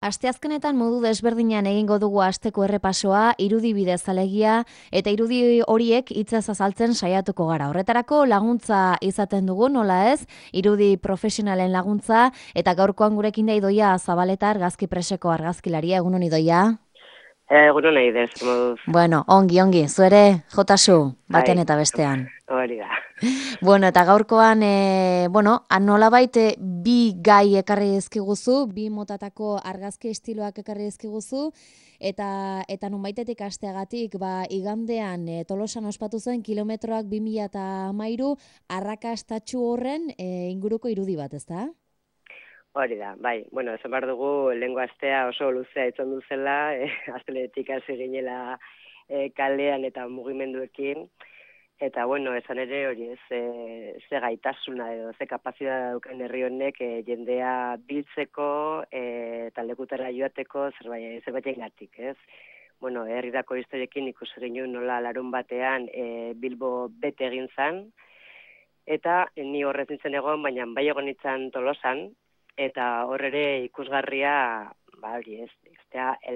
Asteazkenetan modu desberdinean egingo dugu asteko errepasoa, irudi bidez alegia, eta irudi horiek hitzez azaltzen saiatuko gara. Horretarako laguntza izaten dugu, nola ez, irudi profesionalen laguntza, eta gaurkoan gurekin da Idoia Zabaleta argazki preseko argazkilaria, egun honi Idoia. Egunon nahi dez, moduz. Bueno, ongi, zuere, jotasu, batean Bai, eta bestean. hori da. Bueno, eta gaurkoan, nolabait bi gai ekarri dizkiguzu, bi motatako argazki estiloak ekarri dizkiguzu, eta nonbaitetik hasteagatik, igandean Tolosan ospatu zen kilometroak 2013 arrakastatsu horren inguruko irudi bat, ezta? Hori da, bai. Bueno, esan behar dugu, lehengo astea oso luzea izan duzela, asteletik hasi ginela kalean eta mugimenduekin. Eta, bueno, esan ere hori ez, ze gaitasuna edo, ze kapazitatea daukan herri honek jendea biltzeko eta lekutara joateko zerbaitengatik, ez? Bueno, herrirako historiekin ikusi genuen nola larun batean Bilbo bete egin zen, eta ni horrez nintzen egon, baina bai egon nintzen Tolosan, eta hor ere ikusgarria, hori ez,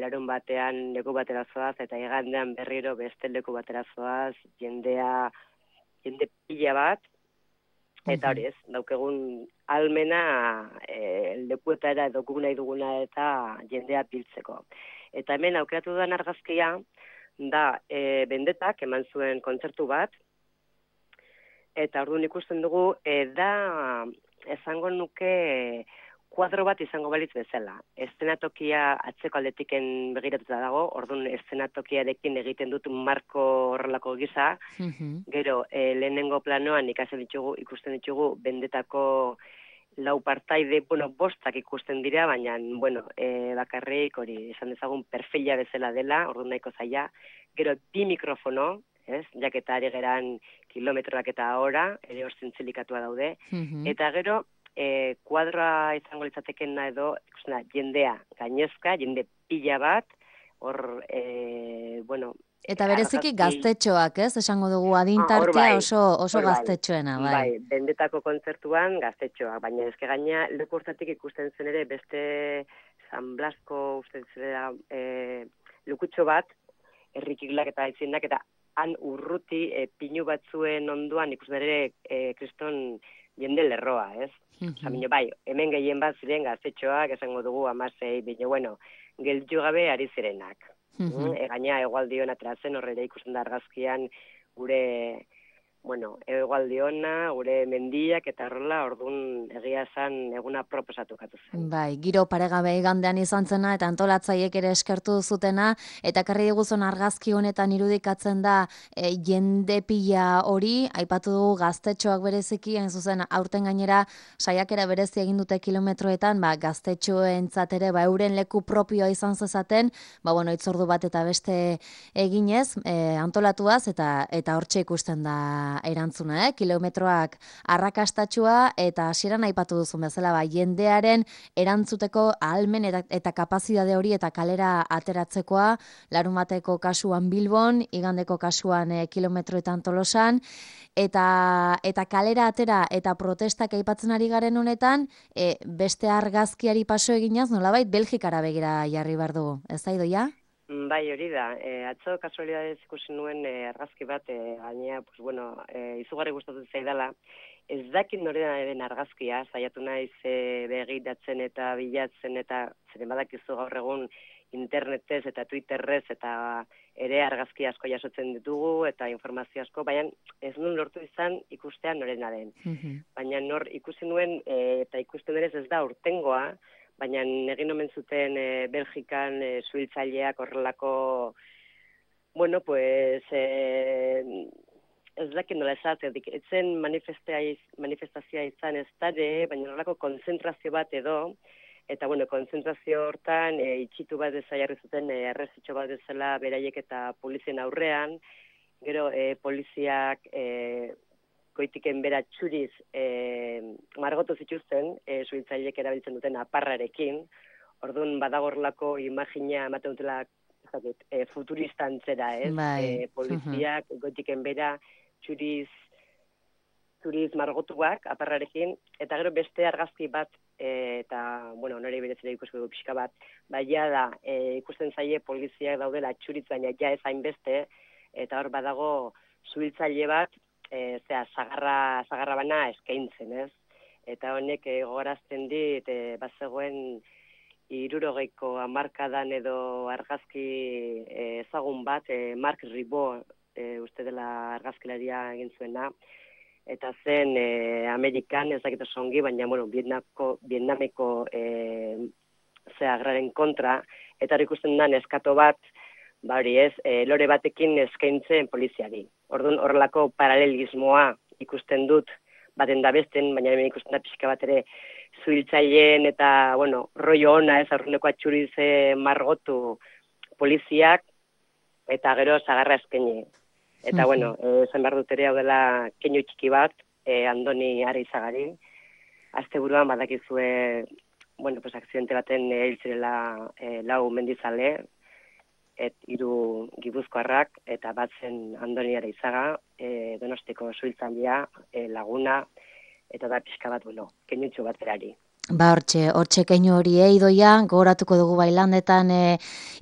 larun batean leku batera zoaz, eta igandean berriro beste leku batera zoaz, jende pila bat, eta hori ez, daukegun almena lekuetara edo guk nahi duguna eta jendea biltzeko. Eta hemen aukeratu dudan argazkia, da Bendetak eman zuen kontzertu bat, eta orduan ikusten dugu, da esango nuke kuadro bat izango balitz bezala. Eszenatokia atzeko aldetiken begiratuta dago, orduan eszenatokiarekin egiten dut marko horrelako gisa, gero lehenengo planoan ikusten ditugu Bendetako lau partaide, bostak ikusten dira, baina, bakarrik hori esan dezagun perfila bezala dela, orduan nahiko zaila, gero bi mikrofono, ez, jaketa ari geran kilometroak eta hora, ere hor zintzelikatua daude, eta gero, kuadroa izango litzatekena edo, jendea gainezka, jende pila bat, hor, Eta bereziki gaztetxoak, ez? Esango dugu adintartea oso gaztetxoena, bai. Bai, Bendetako kontzertuan gaztetxoak, baina ezke gaina leku hortatik ikusten zen ere beste San Blasko uste zera lukutxo bat, herrikiglak eta aitzindak, eta han urruti pinu batzuen onduan ikusten ere kriston jende lerroa, ez? Bai, hemen gehien bat ziren gaztetxoak, esango dugu 16, baina, gelditu gabe ari zirenak. Gaina Hegoaldion atrazen horrela ikusten da argazkian gure, Hegoaldiona, gure mendiak eta horrela, orduan egia esan eguna proposatu katu zen. Bai, giro paregabe igandean izan zena eta antolatzaiek ere eskertu zutena, eta karri diguzun argazki honetan irudikatzen da jende pila hori, aipatu dugu gaztetxoak bereziki, hain zuzen aurten gainera saiakera berezi egin dute kilometroetan, gaztetxoentzat ere euren leku propioa izan zezaten, itzordu bat eta beste eginez, antolatuaz eta hortxe ikusten da erantzuna, kilometroak arrakastatxua, eta hasieran aipatu duzun bezala, jendearen erantzuteko ahalmen eta kapazitate hori eta kalera ateratzekoa, larunbateko kasuan Bilbon, igandeko kasuan kilometroetan Tolosan, eta kalera atera eta protestak aipatzen ari garen honetan, beste argazkiari paso eginaz, nolabait Belgikara begira jarri behar dugu, ez da Idoia? Bai, hori da. Atzo kasualidadez ikusi nuen argazki bat, gainea, izugarri gustatu zaidala. Ez dakit norena den argazkia, saiatu naiz begiratzen eta bilatzen, eta zeren badakizu gaur egun internetez eta Twitterrez eta ere argazki asko jasotzen ditugu eta informazio asko, baina ez nuen lortu izan ikustea norena den. Baina nor ikusi nuen eta ikusten ere ez da urtengoa, baina egin omen zuten Belgikan suhiltzaileak horrelako, ez dakit nola esatetik, etzen manifestazioa izan ez dare, baina horrelako konzentrazio bat edo, eta konzentrazio hortan itxitu bat eza jarri zuten errezitxo bat ezela beraiek eta polizien aurrean, gero poliziak goitiken bera txuriz margotu zituzten, suhiltzaileek erabiltzen duten aparrarekin, orduan badagorlako imagina ematen dutela futuristantzera, ez? Poliziak goitiken bera txuriz margotuak aparrarekin, eta gero beste argazki bat eta, bueno, nire berezera ikusko du pixka bat, baina da, ikusten zaie poliziak daudela txuritzen, ja ez hainbeste, eta hor badago zuhiltzaile bat, zagarra bana eskaintzen, ez? Eta honek gogorazten dit, bazegoen 60ko hamarkadan edo argazki ezagun bat, Mark Ribot, uste dela argazkilaria egin zuena, eta zen Amerikan, ez dakit oso ongi, baina, bueno, Vietnameko agraren kontra, eta hori ikusten da neskato bat, hori ez, lore batekin eskaintzen poliziari. Orduan, horrelako paralelismoa ikusten dut, baten da besten, baina hemen ikusten da pixka bat ere zuhiltzaileen eta, bueno, rollo ona, ez, aurruneko atxurize margotu poliziak, eta gero zagarra eskaini. Eta, bueno, zen behar dut ere hau dela keinu txiki bat, Andoni Areizagari. Asteburuan badakizue, bueno, pues akzidente baten hil zirela 4 mendizale, 3 gipuzkoarrak, eta bat zen Andoni Areizaga, Donostiko zuhiltzailea, laguna, eta da pixka bat, bueno, keinutxo bat berari. Ba, hortxe keinu hori idoia, gogoratuko dugu bailandetan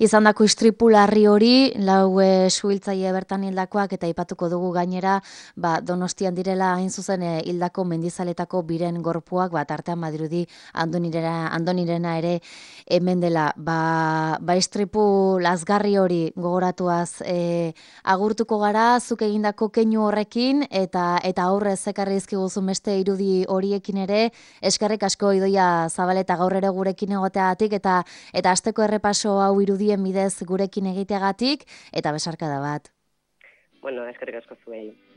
izandako istripu larri hori, 4 suhiltzaile bertan hildakoak, eta aipatuko dugu gainera, ba, Donostian direla hain zuzen hildako mendizaletako biren gorpuak, ba, tartean badirudi Andonirena ere hemen dela. Ba, istripu lazgarri hori gogoratuaz agurtuko gara, zuk egindako keinu horrekin, eta aurrez ekarri dizkiguzun beste irudi horiekin ere, eskerrik asko idoia Zabaleta gaur ere gurekin egoteagatik eta asteko errepaso hau irudien bidez gurekin egiteagatik eta besarkada bat. Bueno, eskerrik asko zuei.